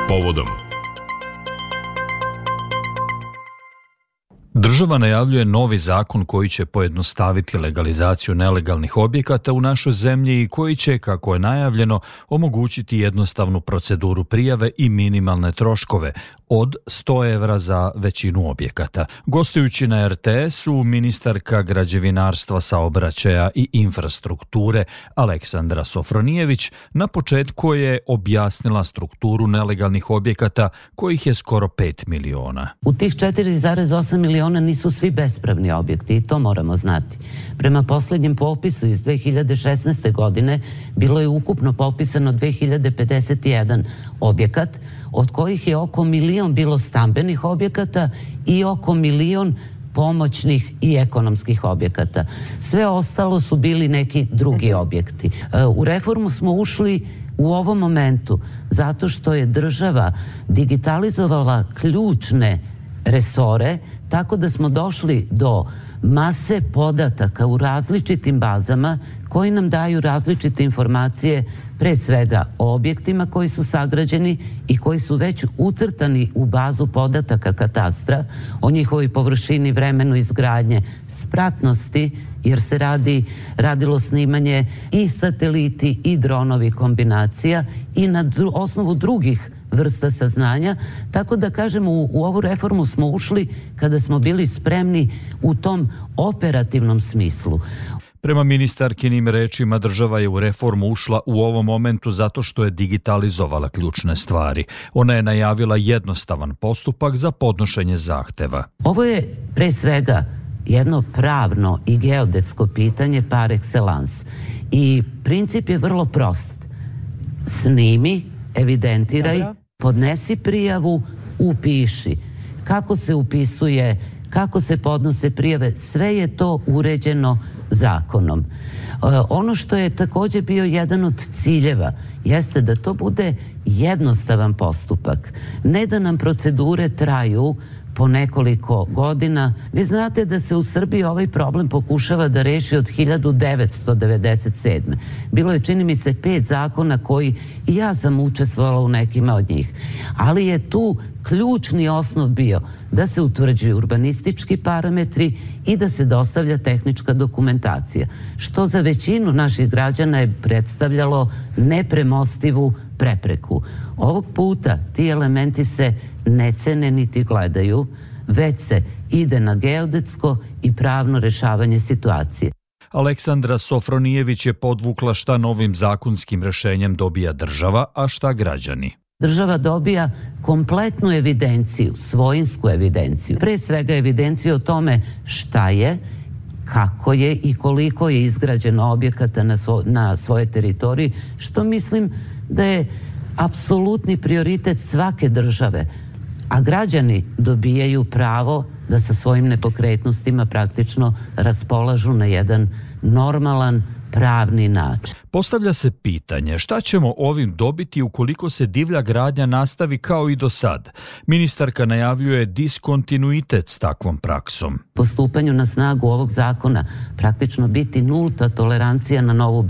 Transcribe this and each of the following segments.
povodom. Država najavljuje novi zakon koji će pojednostaviti legalizaciju nelegalnih objekata u našoj zemlji i koji će, kako je najavljeno, omogućiti jednostavnu proceduru prijave i minimalne troškove od 100 evra za većinu objekata. Gostujući na RTS-u, ministarka građevinarstva, saobraćaja i infrastrukture Aleksandra Sofronijević na početku je objasnila strukturu nelegalnih objekata, kojih je skoro 5 miliona. U tih 4,8 miliona nisu svi bespravni objekti i to moramo znati. Prema posljednjem popisu iz 2016. godine bilo je ukupno popisano 2051 objekat, od kojih je oko 1 milion bilo stambenih objekata i oko 1 milion pomoćnih i ekonomskih objekata. Sve ostalo su bili neki drugi objekti. U reformu smo ušli u ovom momentu zato što je država digitalizovala ključne resore, tako da smo došli do mase podataka u različitim bazama koji nam daju različite informacije, pre svega o objektima koji su sagrađeni i koji su već ucrtani u bazu podataka katastra, o njihovoj površini, vremenu izgradnje, spratnosti, jer se radilo snimanje i sateliti i dronovi kombinacija i na osnovu drugih vrsta saznanja, tako da kažemo u ovu reformu smo ušli kada smo bili spremni u tom operativnom smislu. Prema ministarkinim rečima, država je u reformu ušla u ovom momentu zato što je digitalizovala ključne stvari. Ona je najavila jednostavan postupak za podnošenje zahteva. Ovo je pre svega jedno pravno i geodetsko pitanje par excellence. I princip je vrlo prost. Snimi, evidentiraj, podnesi prijavu, upiši. Kako se upisuje, kako se podnose prijave, sve je to uređeno zakonom. Ono što je također bio jedan od ciljeva jeste da to bude jednostavan postupak. Ne da nam procedure traju po nekoliko godina. Vi znate da se u Srbiji ovaj problem pokušava da reši od 1997. Bilo je, čini mi se, 5 zakona koji i ja sam učestvovala u nekima od njih. Ali je tu ključni osnov bio da se utvrđuju urbanistički parametri i da se dostavlja tehnička dokumentacija, što za većinu naših građana je predstavljalo nepremostivu prepreku. Ovog puta ti elementi se ne cene niti gledaju, već se ide na geodetsko i pravno rešavanje situacije. Aleksandra Sofronijević je podvukla šta novim zakonskim rešenjem dobija država, a šta građani. Država dobija kompletnu evidenciju, svojinsku evidenciju. Pre svega evidenciju o tome šta je, kako je i koliko je izgrađeno objekata na svojoj teritoriji, što mislim da je apsolutni prioritet svake države. A građani dobijaju pravo da sa svojim nepokretnostima praktično raspolažu na jedan normalan, pravni način. Postavlja se pitanje šta ćemo ovim dobiti ukoliko se divlja gradnja nastavi kao i do sad. Ministarka najavljuje diskontinuitet s takvom praksom. Po stupanju na snagu ovog zakona praktično biti nulta tolerancija na novu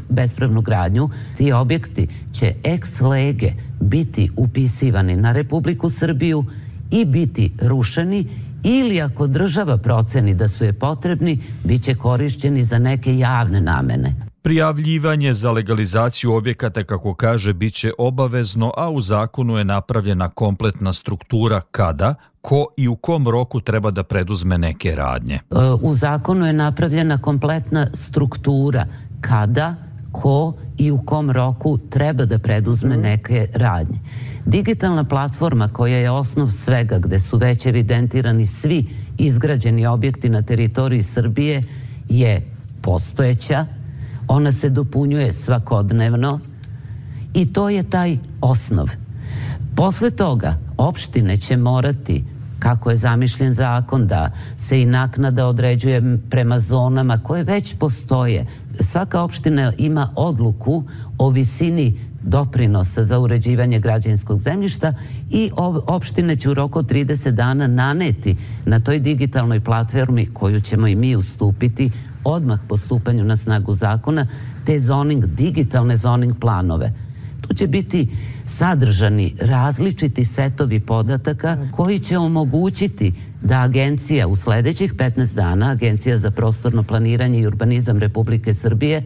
bespravnu gradnju. Ti objekti će ex lege biti upisivani na Republiku Srbiju i biti rušeni, ili ako država proceni da su je potrebni, bit će korišćeni za neke javne namene. Prijavljivanje za legalizaciju objekata, kako kaže, bit će obavezno, a u zakonu je napravljena kompletna struktura kada, ko i u kom roku treba da preduzme neke radnje. U zakonu je napravljena kompletna struktura kada, ko i u kom roku treba da preduzme neke radnje. Digitalna platforma koja je osnov svega, gde su već evidentirani svi izgrađeni objekti na teritoriji Srbije, je postojeća. Ona se dopunjuje svakodnevno i to je taj osnov. Posle toga opštine će morati, kako je zamišljen zakon, da se i naknada određuje prema zonama koje već postoje. Svaka opština ima odluku o visini doprinosa za uređivanje građevinskog zemljišta i opštine će u roku od 30 dana naneti na toj digitalnoj platformi, koju ćemo i mi ustupiti odmah po stupanju na snagu zakona, te digitalne zoning planove. Tu će biti sadržani različiti setovi podataka koji će omogućiti da agencija u sledećih 15 dana, Agencija za prostorno planiranje i urbanizam Republike Srbije,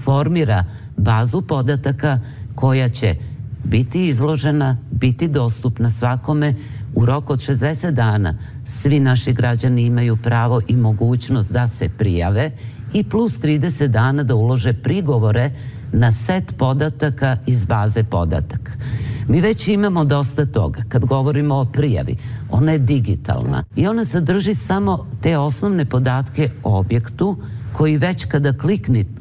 formira bazu podataka koja će biti izložena, biti dostupna svakome u roku od 60 dana. Svi naši građani imaju pravo i mogućnost da se prijave i plus 30 dana da ulože prigovore na set podataka iz baze podataka. Mi već imamo dosta toga. Kad govorimo o prijavi, ona je digitalna i ona sadrži samo te osnovne podatke o objektu koji već kada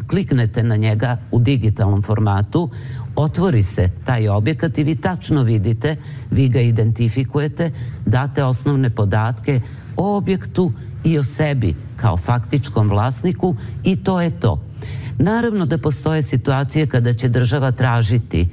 kliknete na njega u digitalnom formatu, otvori se taj objekat i vi tačno vidite, vi ga identifikujete, date osnovne podatke o objektu i o sebi kao faktičkom vlasniku i to je to. Naravno da postoje situacije kada će država tražiti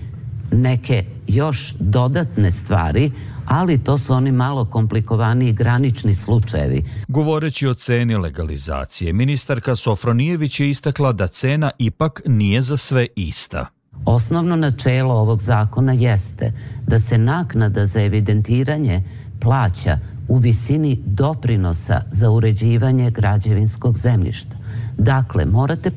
neke još dodatne stvari, ali to su oni malo komplikovaniji granični slučajevi. Govoreći o ceni legalizacije, ministarka Sofronijević je istakla da cena ipak nije za sve ista. Osnovno načelo ovog zakona jeste da se naknada za evidentiranje plaća u visini doprinosa za uređivanje građevinskog zemljišta. Dakle, morate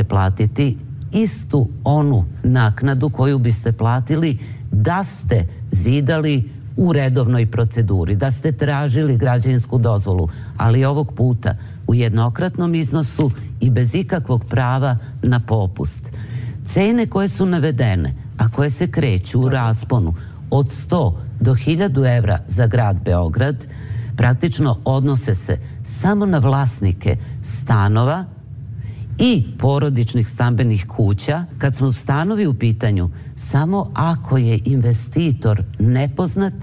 platiti istu onu naknadu koju biste platili da ste zidali u redovnoj proceduri, da ste tražili građevinsku dozvolu, ali ovog puta u jednokratnom iznosu i bez ikakvog prava na popust. Cene koje su navedene, a koje se kreću u rasponu od 100 do 1000 evra za grad Beograd, praktično odnose se samo na vlasnike stanova i porodičnih stambenih kuća. Kad smo stanovi u pitanju, samo ako je investitor nepoznat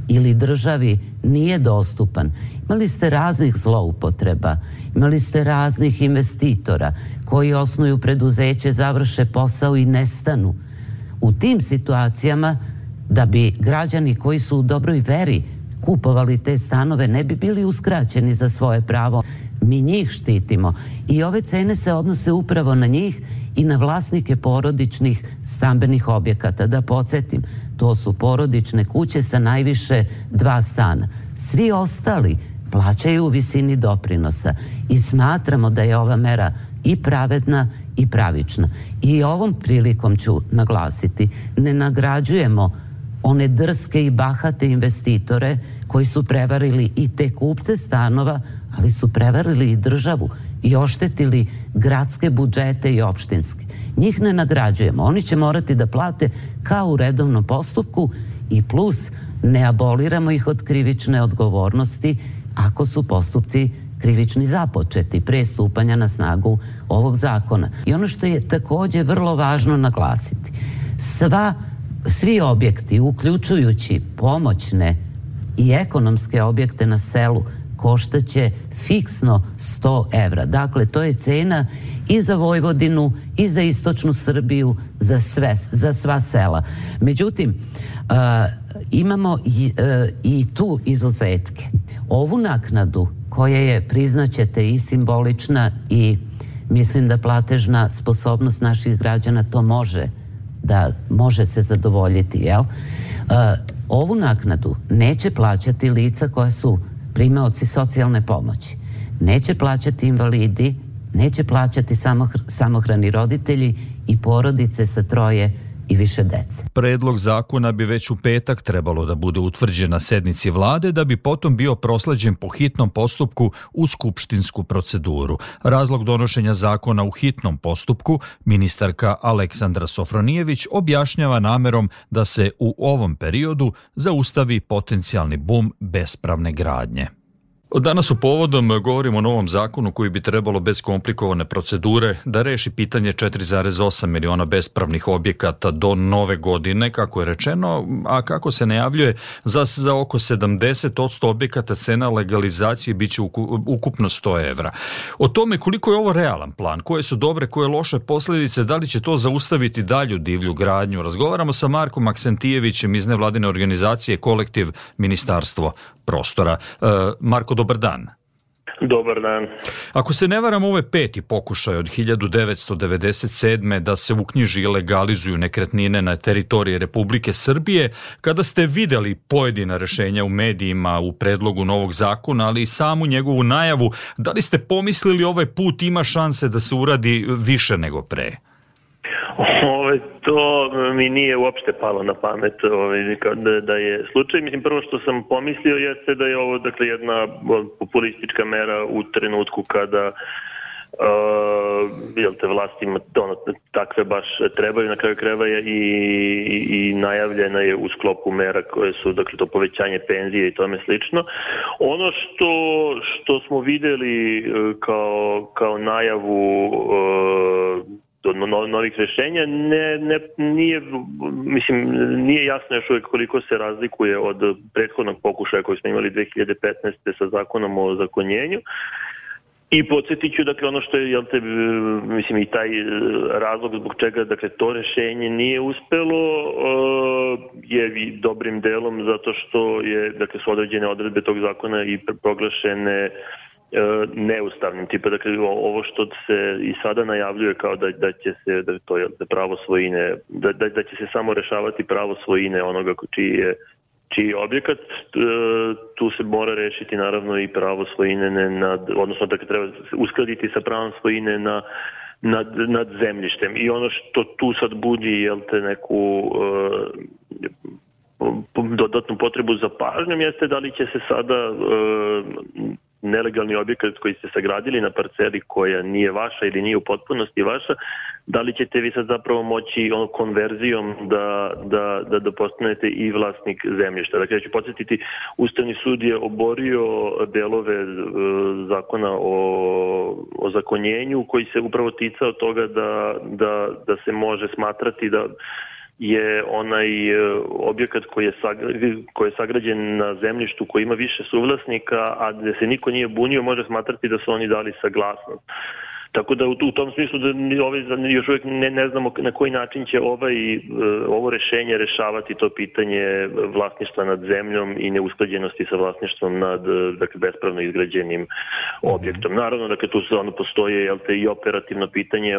ili državi nije dostupan. Imali ste raznih zloupotreba, imali ste raznih investitora koji osnuju preduzeće, završe posao i nestanu. U tim situacijama, da bi građani koji su u dobroj veri kupovali te stanove ne bi bili uskraćeni za svoje pravo, mi njih štitimo i ove cene se odnose upravo na njih i na vlasnike porodičnih stambenih objekata. Da podsjetim, to su porodične kuće sa najviše 2 stana. Svi ostali plaćaju u visini doprinosa i smatramo da je ova mera i pravedna i pravična. I ovom prilikom ću naglasiti, ne nagrađujemo one drske i bahate investitore koji su prevarili i te kupce stanova, ali su prevarili i državu i oštetili gradske budžete i opštinske. Njih ne nagrađujemo. Oni će morati da plate kao u redovnom postupku i plus ne aboliramo ih od krivične odgovornosti ako su postupci krivični započeti pre stupanja na snagu ovog zakona. I ono što je takođe vrlo važno naglasiti, svi objekti, uključujući pomoćne i ekonomske objekte na selu, koštaće fiksno 100 evra. Dakle, to je cena i za Vojvodinu, i za istočnu Srbiju, za sva sela. Međutim, imamo i tu izuzetke. Ovu naknadu, koja je, priznaćete, i simbolična i mislim da platežna sposobnost naših građana to može se zadovoljiti, jel? Ovu naknadu neće plaćati lica koja su primaoci socijalne pomoći. Neće plaćati invalidi, neće plaćati samohrani roditelji i porodice sa 3 i više dece. Predlog zakona bi već u petak trebalo da bude utvrđen na sednici vlade da bi potom bio prosleđen po hitnom postupku u skupštinsku proceduru. Razlog donošenja zakona u hitnom postupku ministarka Aleksandra Sofronijević objašnjava namerom da se u ovom periodu zaustavi potencijalni bum bespravne gradnje. Danas u Povodom govorimo o novom zakonu koji bi trebalo bez komplikovane procedure da reši pitanje 4,8 miliona bespravnih objekata do nove godine, kako je rečeno, a kako se najavljuje za oko 70% objekata cena legalizacije biće ukupno 100 evra. O tome koliko je ovo realan plan, koje su dobre, koje loše posljedice, da li će to zaustaviti dalju divlju gradnju, razgovaramo sa Markom Aksentijevićem iz nevladine organizacije Kolektiv Ministarstvo prostora. Marko, dobar dan. Dobar dan. Ako se ne varam, ovo je 5. pokušaj od 1997. da se uknjiži i legalizuju nekretnine na teritoriji Republike Srbije. Kada ste videli pojedina rešenja u medijima u predlogu novog zakona, ali i samu njegovu najavu, da li ste pomislili ovaj put ima šanse da se uradi više nego pre? To mi nije uopšte palo na pamet da je slučaj. Mislim, prvo što sam pomislio jeste da je ovo jedna populistička mera u trenutku kada vlastima takve baš trebaju, na kraju krajeva i najavljena je u sklopu mera koje su, to povećanje penzije i tome slično. Ono što smo videli kao najavu novih rešenja nije jasno još uvijek koliko se razlikuje od prethodnog pokušaja koji smo imali 2015. sa zakonom o ozakonjenju. I podsjetit ću, ono što je, i taj razlog zbog čega, to rešenje nije uspelo je dobrim delom zato što su određene odredbe tog zakona i proglašene neustavnim. Ovo što se i sada najavljuje kao da će se pravo svojine, da će se samo rešavati pravo svojine onoga čiji je objekat, tu se mora rešiti naravno i pravo svojine odnosno treba uskladiti sa pravom svojine nad zemljištem. I ono što tu sad budi neku dodatnu potrebu za pažnjom jeste da li će se sada nelegalni objekat koji ste sagradili na parceli koja nije vaša ili nije u potpunosti vaša, da li ćete vi sad zapravo moći konverzijom da postanete i vlasnik zemljišta. Dakle, ja ću podsjetiti, Ustavni sud je oborio delove zakona o ozakonjenju koji se upravo ticao toga da se može smatrati da je onaj objekat koji je sagrađen na zemljištu koji ima više suvlasnika, a gde se niko nije bunio, može smatrati da su oni dali saglasnost. Tako da u tom smislu da još uvijek ne znamo na koji način će ovo rešenje rešavati to pitanje vlasništva nad zemljom i neusklađenosti sa vlasništvom nad bespravno izgrađenim objektom. Naravno, tu postoje i operativno pitanje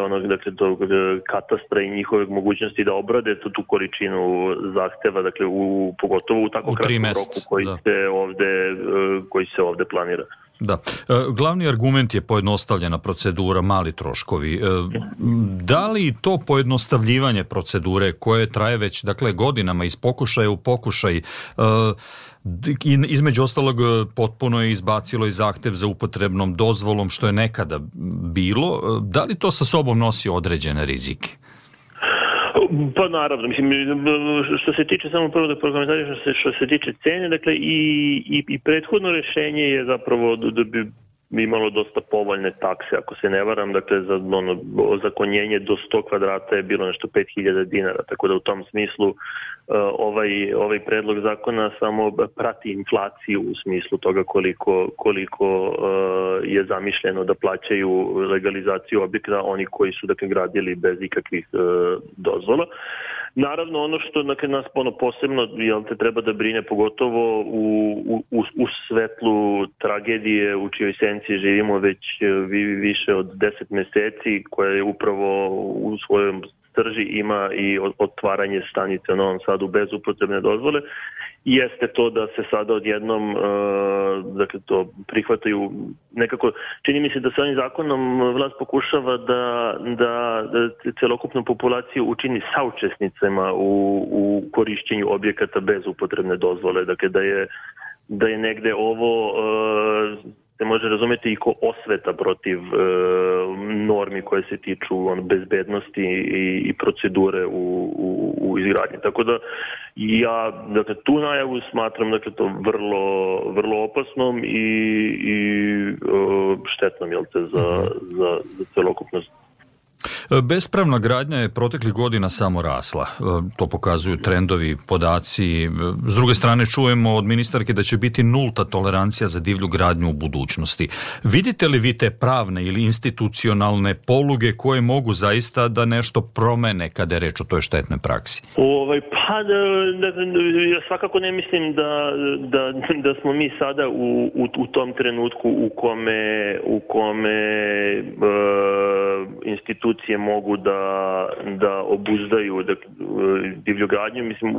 tog katastra i njihove mogućnosti da obrade tu količinu zahteva, pogotovo u tako kratkom roku koji se ovde planira. Da. Glavni argument je pojednostavljena procedura, mali troškovi. Da li to pojednostavljivanje procedure koje traje već godinama iz pokušaja u pokušaj, između ostalog potpuno je izbacilo i zahtev za upotrebnom dozvolom što je nekada bilo, da li to sa sobom nosi određene rizike? Pa naravno, što se tiče samo prvo da prokomentarišem što se tiče cene, i prethodno rešenje je zapravo da bi imalo dosta povoljne takse, ako se ne varam, za ozakonjenje do 100 kvadrata je bilo nešto 5.000 dinara, tako da u tom smislu ovaj predlog zakona samo prati inflaciju u smislu toga koliko je zamišljeno da plaćaju legalizaciju objekta oni koji su gradili bez ikakvih dozvola. Naravno, ono što nas posebno treba da brine, pogotovo u svetlu tragedije u čijoj senci živimo već više od 10 meseci, koja je upravo u svojom srži ima i otvaranje stanice u Novom Sadu bez upotrebne dozvole, jeste to da se sada odjednom to prihvataju nekako, čini mi se da sa ovim zakonom vlast pokušava da celokupnu populaciju učini saučesnicama u korišćenju objekata bez upotrebne dozvole, da je negde ovo se može razumeti i ko osveta protiv normi koje se tiču bezbednosti i procedure u izgradnji. Tako da ja tu najavu smatram to vrlo opasnom i štetnom za celokupnost. Bespravna gradnja je proteklih godina samo rasla. To pokazuju trendovi, podaci. S druge strane čujemo od ministarke da će biti nulta tolerancija za divlju gradnju u budućnosti. Vidite li vi te pravne ili institucionalne poluge koje mogu zaista da nešto promene kada je reč o toj štetnoj praksi? Ja svakako ne mislim da smo mi sada u tom trenutku u kome institucije mogu da obuzdaju divlju gradnju. Mislim,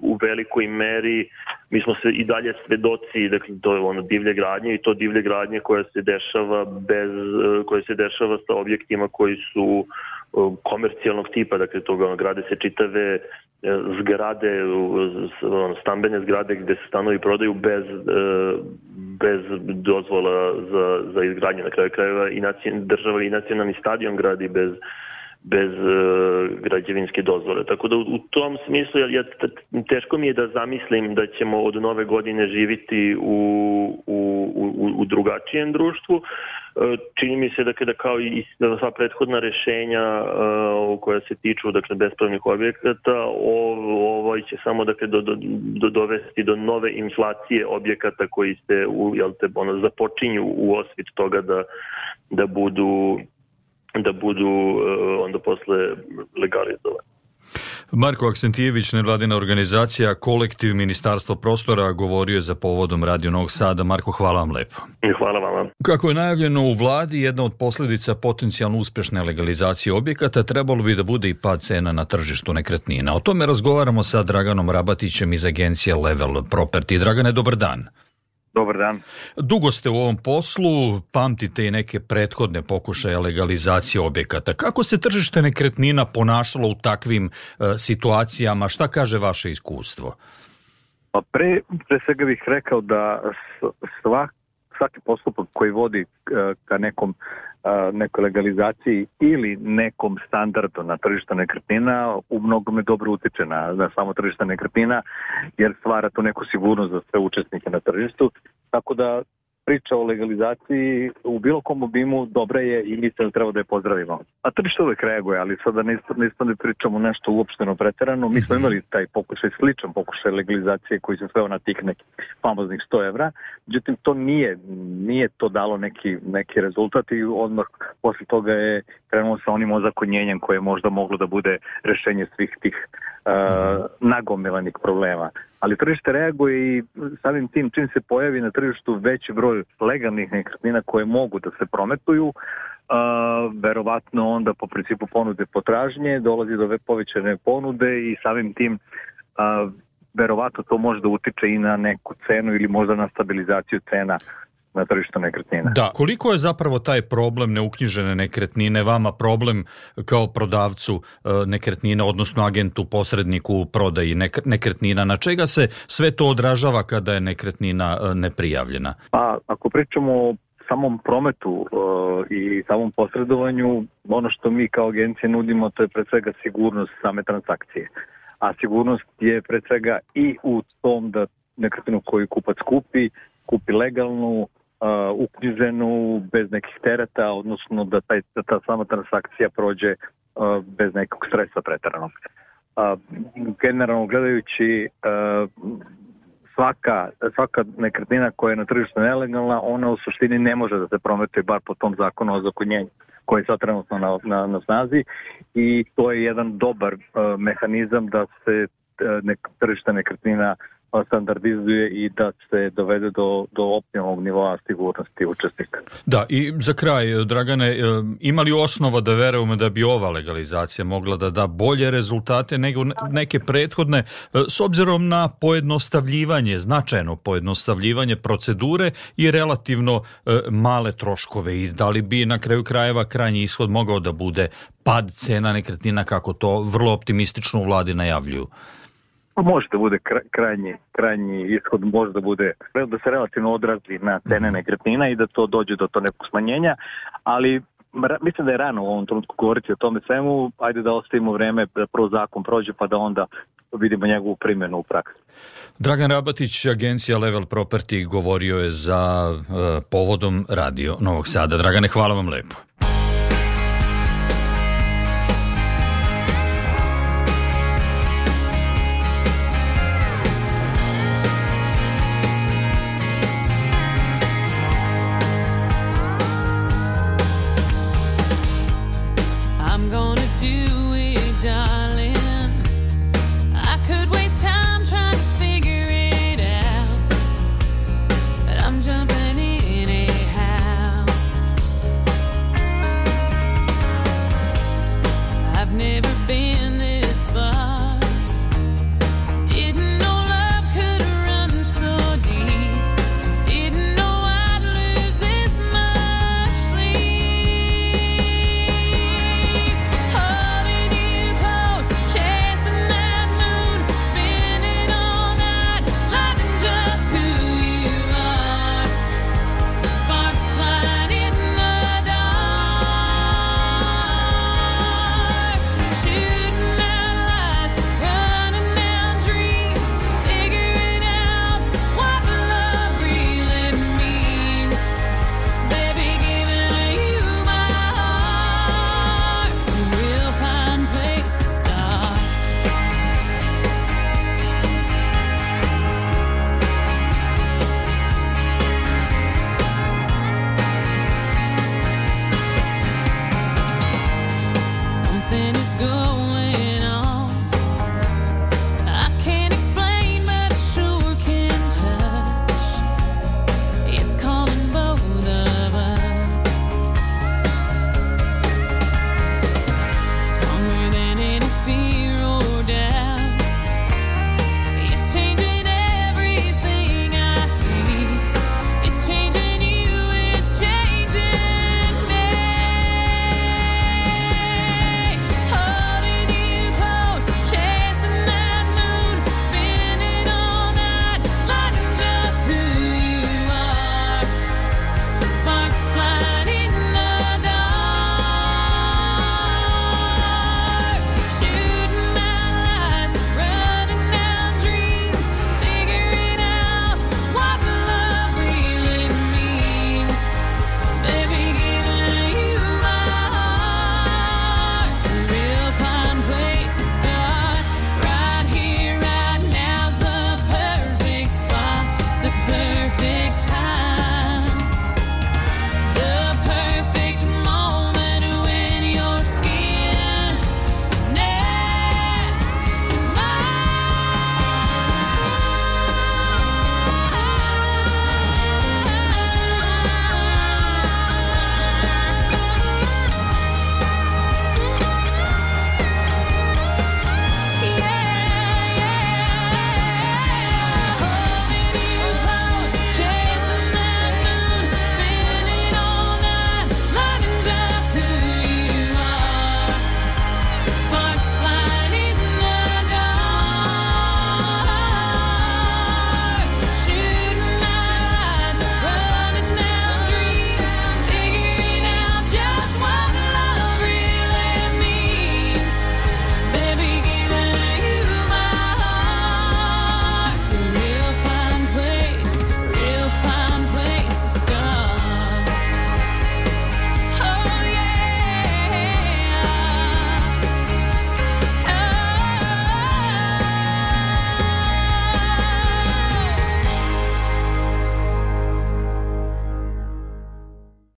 u velikoj meri mi smo i dalje svedoci, dakle, to je ono divlje gradnje i to divlje gradnje koja se dešava sa objektima koji su komercijalnog tipa, dakle toga grade se čitave zgrade, stambene zgrade gde se stanovi prodaju bez dozvola za izgradnje. Na kraju krajeva i država i nacionalni stadion gradi bez građevinske dozvole. Tako da u tom smislu teško mi je da zamislim da ćemo od nove godine živiti u drugačijem društvu. Čini mi se da kao i sva prethodna rešenja koja se tiču bespravnih objekata, ovo će samo dovesti do nove inflacije objekata koji se započinju u osvit toga da budu onda posle legalizovani. Marko Aksentijević, nevladina organizacija Kolektiv Ministarstvo prostora, govorio je za povodom Radio Novog Sada. Marko, hvala vam lepo. Hvala vama. Kako je najavljeno u vladi, jedna od posljedica potencijalno uspješne legalizacije objekata trebalo bi da bude i pad cena na tržištu nekretnina. O tome razgovaramo sa Draganom Rabatićem iz agencije Level Property. Dragane, dobar dan. Dobar dan. Dugo ste u ovom poslu, pamtite i neke prethodne pokušaje legalizacije objekata. Kako se tržište nekretnina ponašalo u takvim situacijama? Šta kaže vaše iskustvo? Pa pre svega bih rekao da svaki postupak koji vodi ka nekoj legalizaciji ili nekom standardu na tržištu nekretnina u mnogome dobro utiče na samo tržište nekretnina, jer stvara tu neku sigurnost za sve učesnike na tržištu. Tako da priča o legalizaciji u bilo kom obimu dobra je i mislim da treba da je pozdravimo. A tržište uvek reaguje, ali sada ne pričamo nešto uopšteno preterano. Mi smo imali taj pokušaj, sličan pokušaj legalizacije koji se sveo na tih nekih famoznih 100 evra. Međutim, to nije to dalo neki rezultat i odmah posle toga je krenulo sa onim ozakonjenjem koje je možda moglo da bude rešenje svih tih nagomilanih problema. Ali tržište reaguje i samim tim čim se pojavi na tržištu veći broj legalnih nekretnina koje mogu da se prometuju, verovatno onda po principu ponude potražnje dolazi do povećane ponude i samim tim verovatno to može da utiče i na neku cenu ili možda na stabilizaciju cena na tržištu nekretnina. Da, koliko je zapravo taj problem neuknjižene nekretnine vama problem kao prodavcu nekretnina, odnosno agentu, posredniku u prodaji nekretnina? Na čega se sve to odražava kada je nekretnina neprijavljena? Pa, ako pričamo o samom prometu i samom posredovanju, ono što mi kao agencije nudimo, to je pre svega sigurnost same transakcije. A sigurnost je pre svega i u tom da nekretninu koju kupac kupi legalnu, uknjiženu, bez nekih tereta, odnosno da ta sama transakcija prođe bez nekog stresa preteranog. Generalno gledajući, svaka nekretnina koja je na tržištu nelegalna, ona u suštini ne može da se prometuje bar po tom zakonu o ozakonjenju koji je sad trenutno na snazi i to je jedan dobar mehanizam da se tržište nekretnina standardizuje i da se dovede do optimalnog nivoa sigurnosti učesnika. Da, i za kraj, Dragane, ima li osnova da verujemo da bi ova legalizacija mogla da da bolje rezultate nego neke prethodne, s obzirom na pojednostavljivanje, značajno pojednostavljivanje procedure i relativno male troškove, i da li bi na kraju krajeva krajnji ishod mogao da bude pad cena nekretnina, kako to vrlo optimistično u vladi najavljuju? Može da bude krajnji ishod, može da bude da se relativno odrazi na cene nekretnina i da to dođe do nekog smanjenja, ali mislim da je rano u ovom trenutku govoriti o tome svemu. Ajde da ostavimo vreme da prvo zakon prođe pa da onda vidimo njegovu primjenu u praksi. Dragan Rabatić, agencija Level Property, govorio je za povodom Radio Novog Sada. Dragane, hvala vam lepo.